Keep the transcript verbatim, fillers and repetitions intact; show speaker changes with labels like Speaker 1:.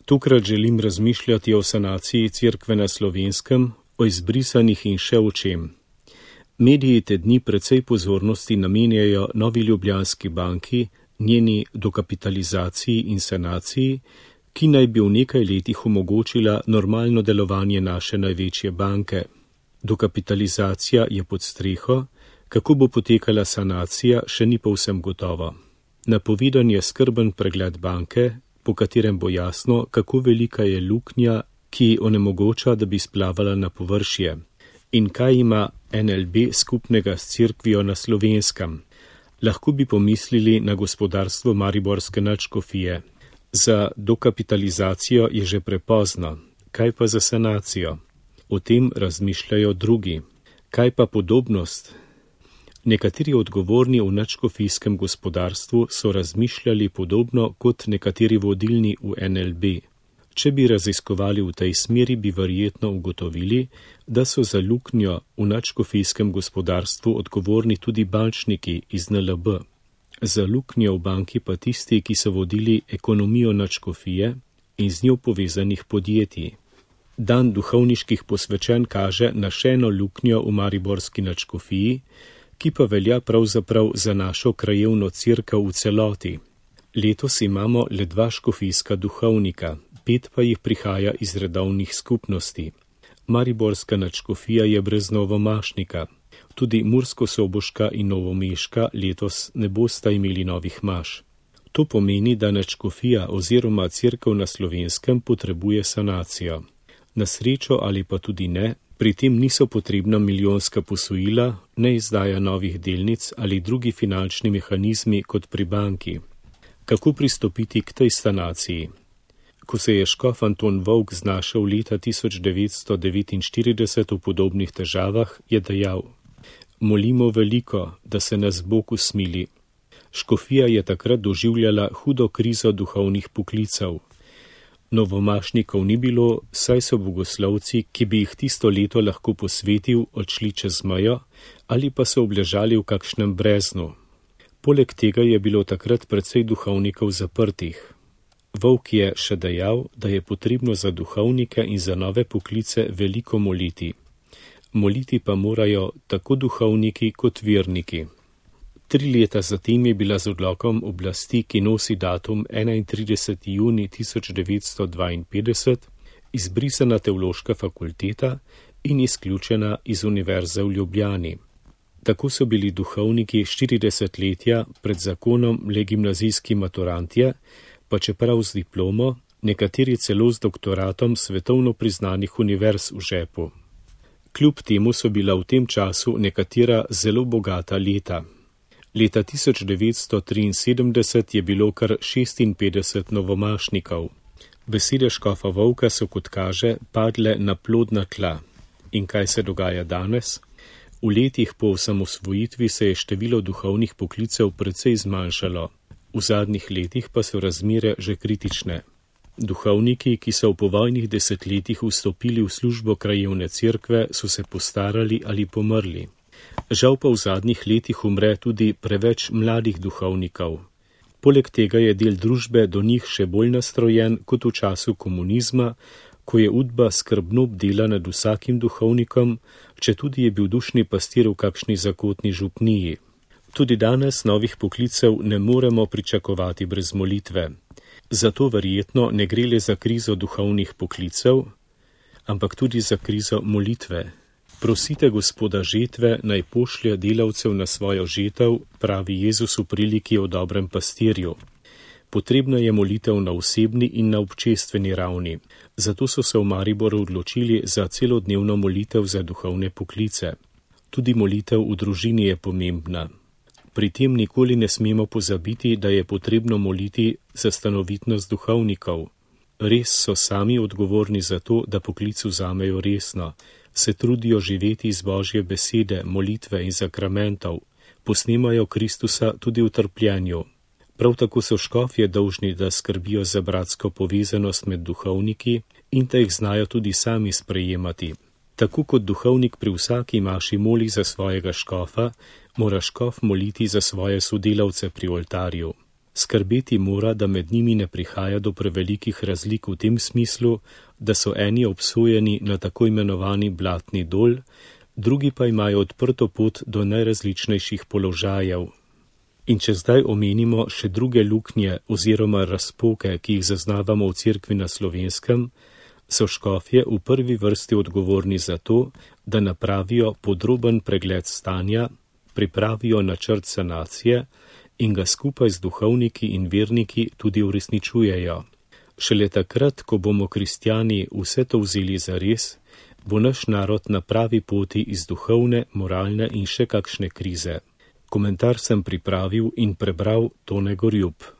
Speaker 1: Tokrat želim razmišljati o sanaciji cerkve na Slovenskem, o izbrisanih in še o čem. Mediji te dni precej pozornosti namenjajo Novi Ljubljanski banki, njeni dokapitalizaciji in sanaciji, ki naj bi v nekaj letih omogočila normalno delovanje naše največje banke. Dokapitalizacija je pod streho, kako bo potekala sanacija, še ni povsem gotovo. Napovedan je skrben pregled banke, po katerem bo jasno, kako velika je luknja, ki onemogoča, da bi splavala na površje. In kaj ima N L B skupnega s cerkvijo na Slovenskem? Lahko bi pomislili na gospodarstvo mariborske nadškofije. Za dokapitalizacijo je že prepozno. Kaj pa za sanacijo? O tem razmišljajo drugi. Kaj pa podobnost? Nekateri odgovorni v nadškofijskem gospodarstvu so razmišljali podobno kot nekateri vodilni v N L B. Če bi raziskovali v tej smeri, bi verjetno ugotovili, da so za luknjo v nadškofijskem gospodarstvu odgovorni tudi bančniki iz N L B. Za luknjo v banki pa tisti, ki so vodili ekonomijo nadškofije in z njo povezanih podjetij. Dan duhovniških posvečen kaže na še eno luknjo v mariborski nadškofiji, ki pa velja pravzaprav za našo krajevno cerkev v celoti. Letos imamo le dva škofijska duhovnika, pet pa jih prihaja iz redovnih skupnosti. Mariborska nadškofija je brez novomašnika. Tudi Murskosoboška in Novomeška letos ne bosta imeli novih maš. To pomeni, da nadškofija oziroma cerkev na Slovenskem potrebuje sanacijo. Na srečo ali pa tudi ne, pri tem niso potrebna milijonska posojila, ne izdaja novih delnic ali drugi finančni mehanizmi kot pri banki. Kako pristopiti k tej sanaciji? Ko se je škof Anton Volk znašel leta tisoč devetsto devetinštirideset v podobnih težavah, je dejal: molimo veliko, da se nas Bog usmili. Škofija je takrat doživljala hudo krizo duhovnih poklicev. Novomašnikov ni bilo, saj so bogoslovci, ki bi jih tisto leto lahko posvetil, odšli čez mejo ali pa so obležali v kakšnem breznu. Poleg tega je bilo takrat precej duhovnikov zaprtih. Volk je še dejal, da je potrebno za duhovnike in za nove poklice veliko moliti. Moliti pa morajo tako duhovniki kot verniki. Tri leta zatem je bila z odlokom oblasti, ki nosi datum enaintrideseti junij tisoč devetsto dvainpetdeset, izbrisana teološka fakulteta in izključena iz Univerze v Ljubljani. Tako so bili duhovniki štiri desetletja pred zakonom le gimnazijski maturantje, pa čeprav z diplomo, nekateri celo z doktoratom svetovno priznanih univerz v žepu. Kljub temu so bila v tem času nekatera zelo bogata leta. Leta tisoč devetsto triinsedemdeset je bilo kar šestinpetdeset novomašnikov. Besede škofa Volka so, kot kaže, padle na plodna tla. In kaj se dogaja danes? V letih po osamosvojitvi se je število duhovnih poklicev precej zmanjšalo. V zadnjih letih pa so razmere že kritične. Duhovniki, ki so v povojnih desetletjih vstopili v službo krajevne cerkve, so se postarali ali pomrli. Žal pa v zadnjih letih umre tudi preveč mladih duhovnikov. Poleg tega je del družbe do njih še bolj nastrojen kot v času komunizma, ko je udba skrbno bdela nad vsakim duhovnikom, četudi je bil dušni pastir v kakšni zakotni župniji. Tudi danes novih poklicev ne moremo pričakovati brez molitve. Zato verjetno ne gre le za krizo duhovnih poklicev, ampak tudi za krizo molitve. Prosite Gospoda žetve, naj pošlje delavcev na svojo žetev, pravi Jezus v priliki o dobrem pastirju. Potrebna je molitev na osebni in na občestveni ravni. Zato so se v Mariboru odločili za celodnevno molitev za duhovne poklice. Tudi molitev v družini je pomembna. Pri tem nikoli ne smemo pozabiti, da je potrebno moliti za stanovitnost duhovnikov. Res so sami odgovorni za to, da poklic vzamejo resno, se trudijo živeti iz Božje besede, molitve in sakramentov, posnemajo Kristusa tudi v trpljenju. Prav tako so škofje dolžni, da skrbijo za bratsko povezanost med duhovniki in da jih znajo tudi sami sprejemati. Tako kot duhovnik pri vsaki maši moli za svojega škofa, mora škof moliti za svoje sodelavce pri oltarju. Skrbeti mora, da med njimi ne prihaja do prevelikih razlik v tem smislu, da so eni obsojeni na tako imenovani blatni dol, drugi pa imajo odprto pot do najrazličnejših položajev. In če zdaj omenimo še druge luknje oziroma razpoke, ki jih zaznavamo v cerkvi na Slovenskem, so škofje v prvi vrsti odgovorni za to, da napravijo podroben pregled stanja, pripravijo načrt sanacije in ga skupaj z duhovniki in verniki tudi uresničujejo. Šele takrat, ko bomo kristjani vse to vzeli zares, bo naš narod na pravi poti iz duhovne, moralne in še kakšne krize. Komentar sem pripravil in prebral Tone Gorjup.